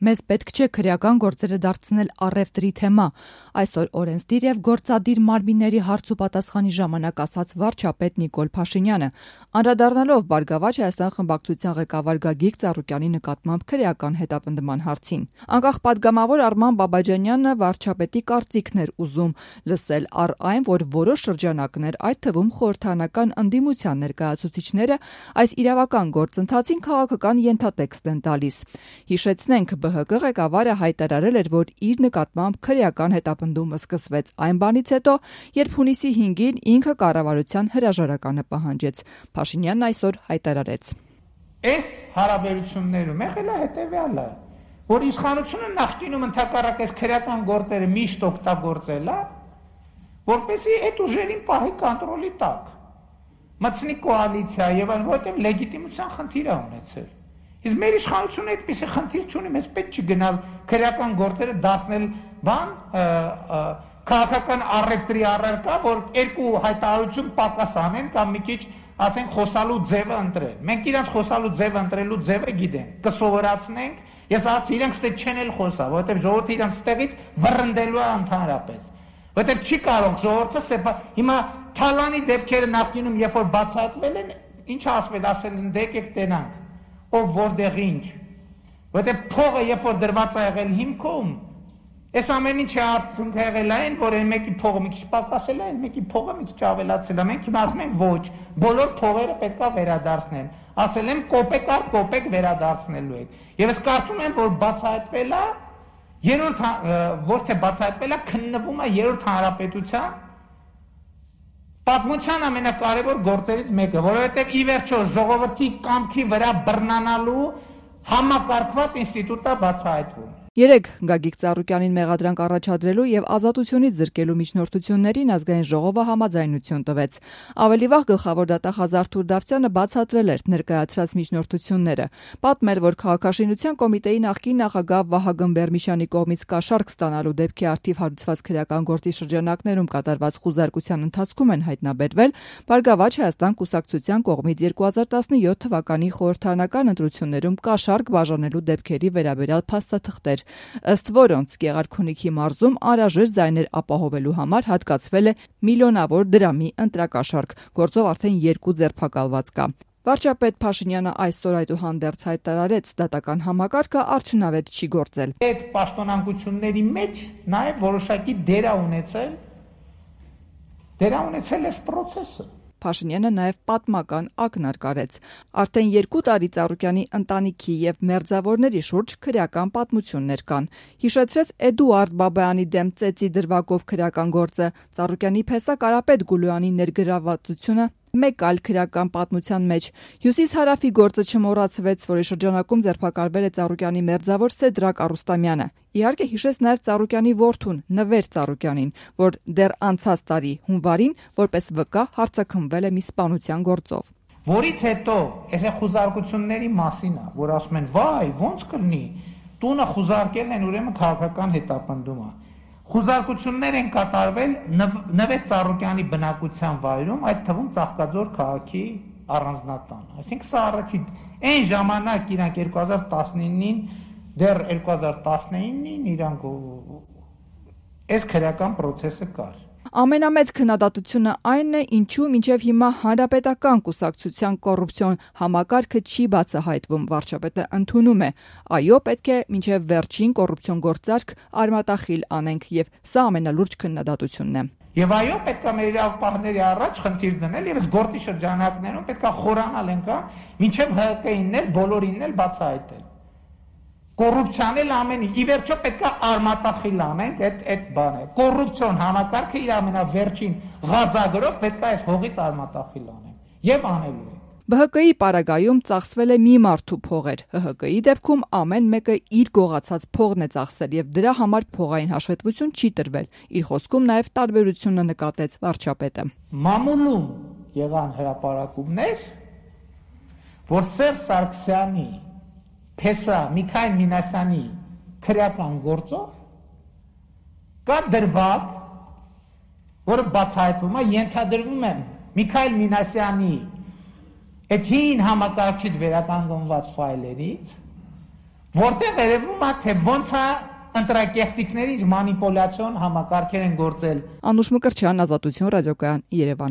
Մեզ պետք չէ քրեական գործերը դարձնել առևտրի թեմա, այսօր օրենսդիր եւ գործադիր մարմինների հարց ու պատասխանի ժամանակ ասաց վարչապետ Նիկոլ Փաշինյանը, անդրադառնալով Բարգավաճ Հայաստան խմբակցության ղեկավար Գագիկ Ծառուկյանի նկատմամբ քրեական հետապնդման հարցին։ Անկախ պատգամավոր Արման Բաբաջանյանը վարչապետի կարծիքն էր ուզում լսել առ այն, որ որոշ շրջանակներ, այդ թվում խորհրդարանական ընդդիմության ներկայացուցիչները այս իրավական գործընթացին քաղաքական ենթատեքստ են տալիս։ Հիշեցնենք, ԲՀԿ ղեկավարը հայտարարել էր, որ իր նկատմամբ քրեական հետապնդումը սկսվեց այն բանից հետո, երբ հունիսի 5-ին ինքը կառավարության հրաժարականը պահանջեց։ Փաշինյանն այսօր հայտարարեց. Այս հարաբերություններում եղել է հետևյալը, որ իշխանությունը նախկինում ընդհակառակ այս քրեական գործերը միշտ օգտագործել է, որպեսզի այդ ուժերին պահի կոնտրոլի տակ, մտցնի կոալիցիա եւ այլն, որտեղ լեգիտիմության խնդիր է ունեցել։ Իսկ մեր իշխանությունը այդպիսի խնդիր չունի, մեզ պետք չի գնալ քրեական գործերը դարձնել քաղաքական առևտրի առարկա, որ երկու հայտարարություն պակաս անեն կամ մի քիչ ասենք խոսալու ձևը ընտրեն։ Մենք իրանց խոսալու ձևը ընտրելու ձևը գիտենք, կսովորացնենք, ես ասացի իրենք ստե չեն էլ խոսա, որովհետև ժողովուրդը իրանց ստեղից վռնդելու է ընդհանրապես։ Որովհետև չի կարող ժողովուրդը հիմա Թալանի դեպքերը նախկինում երբ որ բացահայտվել են, ինչ ասվել, ասել են դե եկեք տենանք, ով որտեղ ինչ, որովհետև փողը երբ որ դրված է եղել հիմքում, այս ամեն ինչը արդյունք եղել է այն, որ այն մեկի փողը մի քիչ պակասել է, այն մեկի փողը մի քիչ ավելացել է, մենք հիմա ասում ենք ոչ, բոլոր փողերը պետք է վերադարձնեն, ասել եմ կոպեկ առ կոպեկ վերադարձնելու եք, եւ ես կարծում եմ, որ բացահայտվել է, ոչ թե բացահայտվել է, քննվում է երրորդ հանրապետության պատմության ամենակարևոր գործերից մեկը, որովհետև ի վերջո ժողովրդի կամքի վրա բռնանալու համակարգված ինստիտուտ է բացահայտվում։ Երեկ Գագիկ Ծառուկյանին մեղադրանք առաջադրելու եւ ազատությունից զրկելու միջնորդություններին ազգային ժողովը համաձայնություն տվեց։ Ավելի վաղ գլխավոր դատախազ Արթուր Դավթյանը բացատրել էր ներկայացրած միջնորդությունները, պատմել, որ քաղաքաշինության կոմիտեի նախկին նախագահ Վահագն Բերմիշյանի կողմից կաշառք ստանալու դեպքի առթիվ հարուցված քրեական գործի շրջանակներում կատարված խուզարկության ընթացքում են հայտնաբերվել Բարգավաճ Հայաստան կուսակցության կողմից 2017 թվականի խորհրդարանական ընտրություններում կաշառք բաժանելու դեպքերի վերաբերյալ փաստաթղթեր, ըստ որոնց Գեղարքունիքի մարզում անհրաժեշտ ձայներ ապահովելու համար հատկացվել է միլիոնավոր դրամի ընտրակաշառք, գործով արդեն 2 ձերբակալված կա։ Վարչապետ Փաշինյանը այսօր այդուհանդերձ հայտարարեց, դատական համակարգը արդյունավետ չի գործել։ Այդ պաշտոնանկությունների մեջ նաև որոշակի դեր է ունեցել այս process-ը։ Փաշինյանը նաև պատմական ակնարկ արեց։ Արդեն 2 տարի Ծառուկյանի ընտանիքի եւ մերձավորների շուրջ քրեական պատմություններ կան։ Հիշեցրեց Էդուարդ Բաբայանի դեմ ծեծի դրվագով քրեական գործը, Ծառուկյանի փեսա Կարապետ Գուլյանի ներգրավվածությունը մեկ այլ քրեական պատմության մեջ։ Հյուսիս-հարավի գործը չմոռացվեց, որի շրջանակում ձերբակալվել է Ծառուկյանի մերձավոր Սեդրակ Արուստամյանը։ Իհարկե հիշեց նաև Ծառուկյանի որդուն Նվեր Ծառուկյանին, որ դեռ անցած տարի հունվարին որպես վկա հարցաքննվել է մի սպանության գործով։ Որից հետո այս խուզարկությունների մասին է, որ ասում են՝ «Վայ, ո՞նց կլինի, տունը խուզարկելն են ուրեմն քաղաքական հետապնդում է»։ Խուզարկություններ են կատարվել Նվեր Ծառուկյանի բնակության վայրում, այդ թվում Ծաղկաձոր քաղաքի առանձնատան։ Այսինքն սա առաջին այն ժամանակ իրանք 2019-ին, դեռ 2019-ին իրանք այս քրեական process-ը կար։ Ամենամեծ քննադատությունը այն է, ինչու մինչև հիմա հանրապետական կուսակցության կոռուպցիոն համակարգը չի բացահայտվում, վարչապետը ընդունում է։ Այո, պետք է մինչև վերջին կոռուպցիոն գործարք արմատախիլ անենք, եւ սա ամենալուրջ քննադատությունն է։ Եվ այո, պետք է մեր իրավապահների առաջ խնդիր դնել եւ այս գործի շրջանակներում պետք է խորանալ ենք, մինչև ՀԿ-ինն էլ բոլորինն էլ բացահայտել։ Կոռուպցիան էլ ամեն ի վերջո պետք է արմատախիլ անենք, այդ բանը։ Կոռուպցիոն համակարգը իր ամենավերջին ղազագրով պետք է այս հողից արմատախիլ անենք եւ անելու ենք։ ԲՀԿ-ի պարագայում ծախսվել է մի մարդու փողեր, ՀՀԿ-ի դեպքում ամեն մեկը իր գողացած փողն է ծախսել եւ դրա համար փողային հաշվետվություն չի տրվել։ Իր խոսքում նաեւ տարբերությունը նկատեց վարչապետը։ Մամուլում եղան հրապարակումներ, որ Սերժ Սարգսյանի Փեսա Միքայել Մինասյանի քրեական գործով կա դրվագ, որը բացահայտվում է, ենթադրվում է Միքայել Մինասյանի այդ հին համակարգչից վերականգնված ֆայլերից, որտեղ երևում է թե ոնց է ընտրակեղծիքների մանիպուլյացիոն համակարգեր են գործել։ Անուշ Մկրտչյան, Ազատություն ռադիոկայան, Երևան։